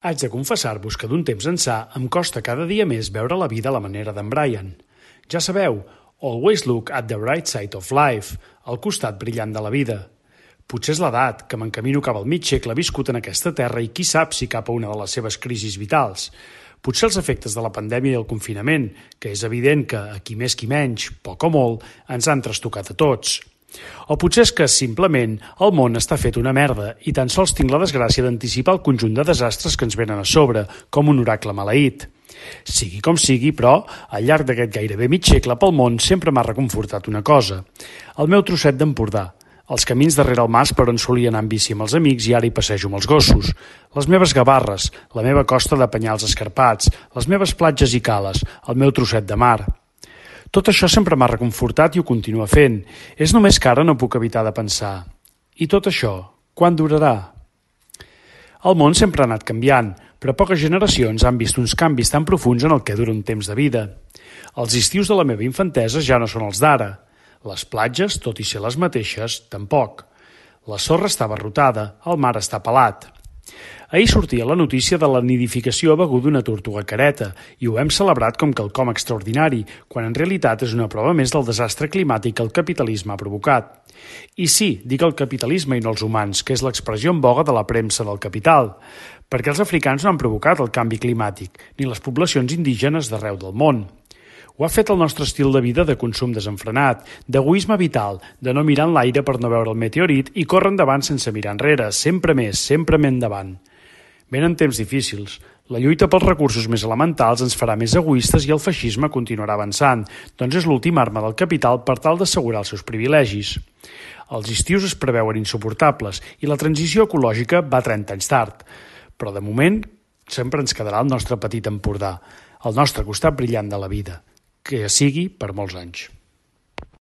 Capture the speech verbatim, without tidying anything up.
Haig de confessar-vos que d'un temps ençà em costa cada dia més veure la vida a la manera d'en Brian. Ja sabeu, always look at the right side of life, al costat brillant de la vida. Potser és l'edat, que m'encamino cap al mig segle viscut en aquesta terra i qui sap si cap a una de les seves crisis vitals. Potser els efectes de la pandèmia i el confinament, que és evident que, a qui més qui menys, poc o molt, ens han trastocat a tots. O potser és que, simplement, el món està fet una merda i tan sols tinc la desgràcia d'anticipar el conjunt de desastres que ens venen a sobre, com un oracle maleït. Sigui com sigui, però, al llarg d'aquest gairebé mig segle pel món sempre m'ha reconfortat una cosa. El meu trosset d'Empordà, els camins darrere el mas per on solia anar en bici amb els amics i ara hi passejo amb els gossos, les meves gavarres, la meva costa de penyals escarpats, les meves platges i cales, el meu trosset de mar. Tot això sempre m'ha reconfortat i ho continua fent. És només que ara no puc evitar de pensar. I tot això, quan durarà? El món sempre ha anat canviant, però poques generacions han vist uns canvis tan profuns en el que dura un temps de vida. Els estius de la meva infantesa ja no són els d'ara. Les platges, tot i ser les mateixes, tampoc. La sorra està barrotada, el mar està pelat. Ahir sortia la notícia de la nidificació a Begur d'una tortuga careta i ho hem celebrat com quelcom extraordinari, quan en realitat és una prova més del desastre climàtic que el capitalisme ha provocat. I sí, dic el capitalisme i no els humans, que és l'expressió en voga de la premsa del capital, perquè els africans no han provocat el canvi climàtic, ni les poblacions indígenes d'arreu del món. Ho ha fet el nostre estil de vida de consum desenfrenat, d'egoisme vital, de no mirar en l'aire per no veure el meteorit i córrer endavant sense mirar enrere, sempre més, sempre més endavant. Venen temps difícils. La lluita pels recursos més elementals ens farà més egoistes i el feixisme continuarà avançant, doncs és l'última arma del capital per tal d'assegurar els seus privilegis. Els estius es preveuen insuportables i la transició ecològica va trenta anys tard. Però de moment sempre ens quedarà el nostre petit Empordà, el nostre costat brillant de la vida, que sigui per molts anys.